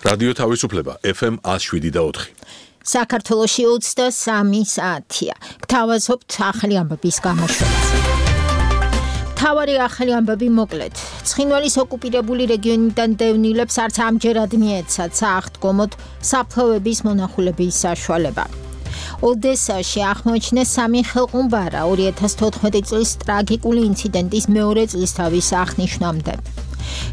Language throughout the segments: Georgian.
რადიო თავისუფლება FM 107.4. საქართველოში 23 საათია. გთავაზობთ ახალი ამბების გამოშვებას. მთავარი ახალი ამბები მოკლედ. ცხინვალის ოკუპირებული რეგიონიდან დევნილებს არც ამჯერად მიეცათ სააღდგომოდ საფლავების მონახულების საშუალება. ოდესაში აღმოაჩინეს 3 ხელყუმბარა 2014 წლის ტრაგიკული ინციდენტის მეორე წლისთავის აღნიშვნამდე.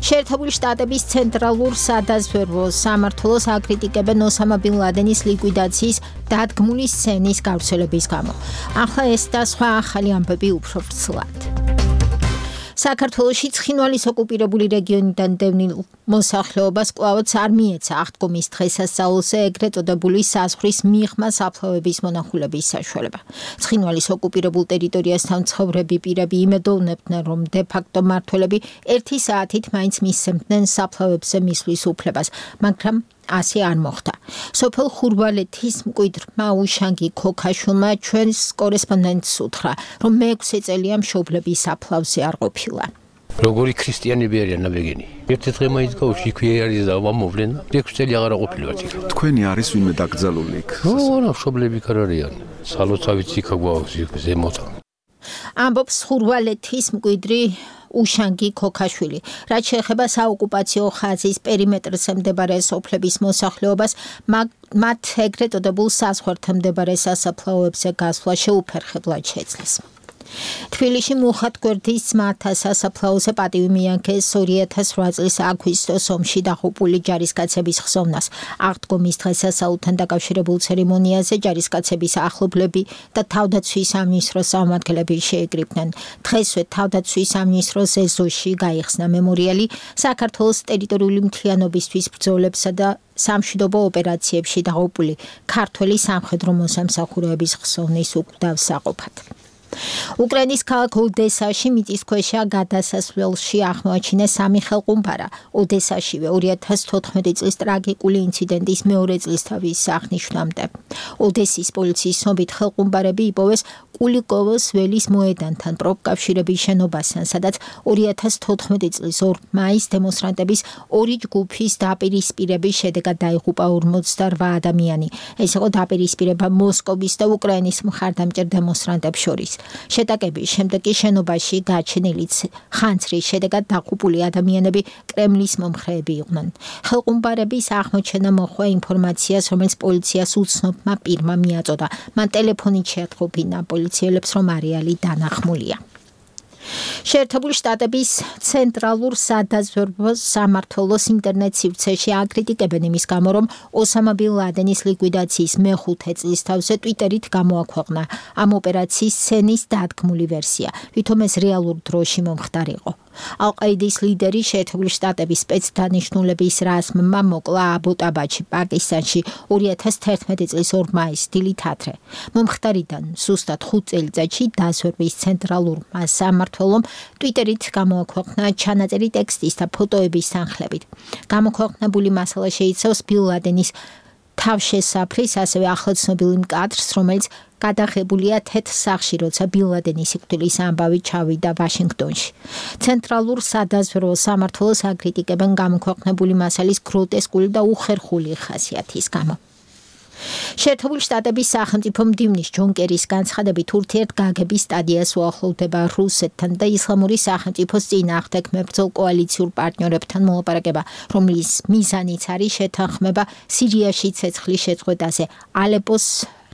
შეერთებული შტატების ცენტრალურ სადაზვერვო სამმართველოს აკრიტიკებენ ოსამა ბინ ლადენის ლიკვიდაციის დადგმული სცენის გავრცელების გამო. ახლა ეს და სხვა ახალი ამბები უფრო ვრცლად. საქართველოში ცხინვალის ოკუპირებული რეგიონიდან დევნილ მოსახლეობას კვლავაც არ მიეცა აღდგომის დღესასწაულზე ეგრეთ წოდებული საზღვრის მიღმა საფლავების მონახულების საშუალება. ცხინვალის ოკუპირებულ ტერიტორიასთან მცხოვრები პირები იმედოვნებდნენ, რომ დე-ფაქტო მმართველები 1 საათით მაინც მისცემდნენ საფლავებზე მისვლის უფლებას, მაგრამ ასე არ მოხდა. სოფელ ხურვალეთის მკვიდრმა უშანგი ქოქაშვილმა ჩვენს კორესპონდენტს უთხრა, რომ მე-6 წელია მშობლები საფლავზე არ ყოფილა. როგორი ქრისტიანები არიან ნაბეგენი. ერთი დღე მაინც გავში იქვე არის და მომვლენ. 6 წელი აღარ ყოფილვართ იქ. თქვენი არის ვინმე დაკრძალული იქ? რა, მშობლები იქ არ არიან. სალოცავიც იქ გვაქვს იქ ზემოთ. ამბობს ხურვალეთის მკვიდრი უშანგი ქოქაშვილი. რაც შეეხება საოკუპაციო ხაზის პერიმეტრზე მდებარე სოფლების მოსახლეობას, მათ ეგრეთ წოდებულ საზღვართან მდებარე სასაფლაოებზე გასვლა შეუფერხებლად შეძლეს. თბილისში მუხად გვერდის ძმათა სასაფლაოზე პატივი მიაგეს 2008 წლის აგვისტოს ომში დაღუპული ჯარისკაცების ხსოვნას. აღდგომის დღესასწაულთან დაკავშირებულ ცერემონიაზე ჯარისკაცების ახლობლები და თავდაცვის სამინისტროს წარმომადგენლები შეეკრიბნენ. დღესვე თავდაცვის სამინისტროს ეზოში გაიხსნა მემორიალი საქართველოს ტერიტორიული მთლიანობისთვის ბრძოლებსა და სამშვიდობო ოპერაციებში დაღუპული ქართველი სამხედრო მოსამსახურეების ხსოვნის უკვდავსაყოფად. უკრაინის ქალაქ ოდესაში მიწისქვეშა გადასასვლელში აღმოაჩინეს 3 ხელყუმბარა. ოდესაშივე 2014 წლის ტრაგიკული ინციდენტის მეორე წლისთავის აღნიშვნამდე. ოდესის პოლიციის ცნობით ხელყუმბარები იპოვეს კულიკოვოს ველის მოედანთან პროფკავშირების შენობასთან, სადაც 2014 წლის 2 მაისს დემონსტრანტების 2 ჯგუფის დაპირისპირების შედეგად დაიღუპა 48 ადამიანი. ეს იყო დაპირისპირება მოსკოვის და უკრაინის მხარდამჭერ დემონსტრანტებს შორის. შეტაკების შემდეგ შენობაში გაჩენილი ხანძრის შედეგად დაღუპული ადამიანები კრემლის მომხრეები იყვნენ. ხელყუმბარების აღმოჩენა მოჰყვა ინფორმაციას, რომელიც პოლიციას უცნობმა პირმა მიაწოდა. მან ტელეფონით შეატყობინა პოლიციელებს, რომ არეალი დანახმულია. შეერთებული შტატების ცენტრალურ სადაზვერვო სამმართველოს ინტერნეტ სივრცეში აკრიტიკებენ იმის გამო, რომ ოსამა ბინ ლადენის ლიკვიდაციის მე-5 წლისთავზე ტვიტერით გამოაქვეყნა ამ ოპერაციის სცენის დადგმული ვერსია, ვითომ ეს რეალურ დროში მომხდარიყო. ალ-ყაიდის ლიდერი შეერთებული შტატების სპეცდანიშნულების რაზმმა მოკლა აბოტაბადში, პაკისტანში 2011 წლის 2 მაისს დილით ადრე. მომხდარიდან ზუსტად 5 წელიწადში დაზვერვის ცენტრალურმა სამმართველომ ტვიტერით გამოაქვეყნა ჩანაწერი ტექსტის და ფოტოების თანხლებით. გამოქვეყნებული მასალა შეიცავს ბინ ლადენის თავშესაფრის, ასევე ახლაცნობილ კადრს, რომელიც გადაღებულია თეთრ სახლში, როცა ბინ ლადენის სიკვდილის ამბავი ჩავიდა ვაშინგტონში. ცენტრალურ სადაზვერვო სამმართველოს აკრიტიკებენ გამოქვეყნებული მასალის გროტესკული და უხერხული ხასიათის გამო. შეერთებული შტატების სახელმწიფო მდივნის ჯონ კერის განცხადებით ურთიერთგაგების სტადიას უახლოვდება რუსეთთან და ისლამური სახელმწიფოს წინააღმდეგ მებრძოლ კოალიციურ პარტნიორებთან მოლაპარაკება, რომლის მიზანიც არის შეთანხმება სირიაში ცეცხლის შეწყვეტაზე ალეპოს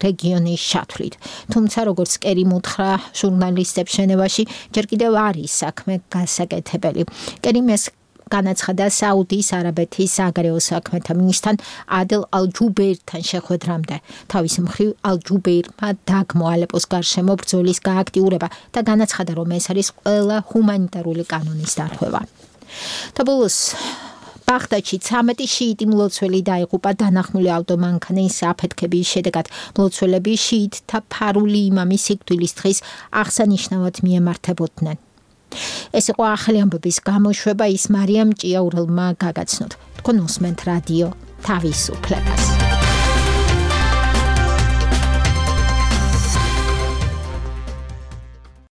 რეგიონის შათვლით. თუმცა, როგორც კერიმ უთხრა ჟურნალისტებს ჟენევაში, ჯერ კიდევ არის საქმე გასაკეთებელი. კერიმ ეს განაცხადა საუდის არაბეთის საგარეო საქმეთა მინისტრთან ადელ ალ-ჯუბეირთან შეხვედრამდე. თავის მხრივ ალ-ჯუბეირმა დაგმო ალეპოს გარშემო ბრძოლის გააქტიურება და განაცხადა, რომ ეს არის ყველა ჰუმანიტარული კანონის დარღვევა. და ბოლოს ბაღდადში 13 შიიტი მლოცველი დაიღუპა დანახმული ავტომანქანის აფეთქების შედეგად. მლოცველები შიიტთა ფარული იმამის სიკვდილის დღის აღსანიშნავად მიემართებოდნენ. ეს იყო ახალი ამბების გამოშვება, ის მარიამ ჭიაურელმა გაგაცნოთ. თქვენ უსმენთ რადიო თავისუფლებას.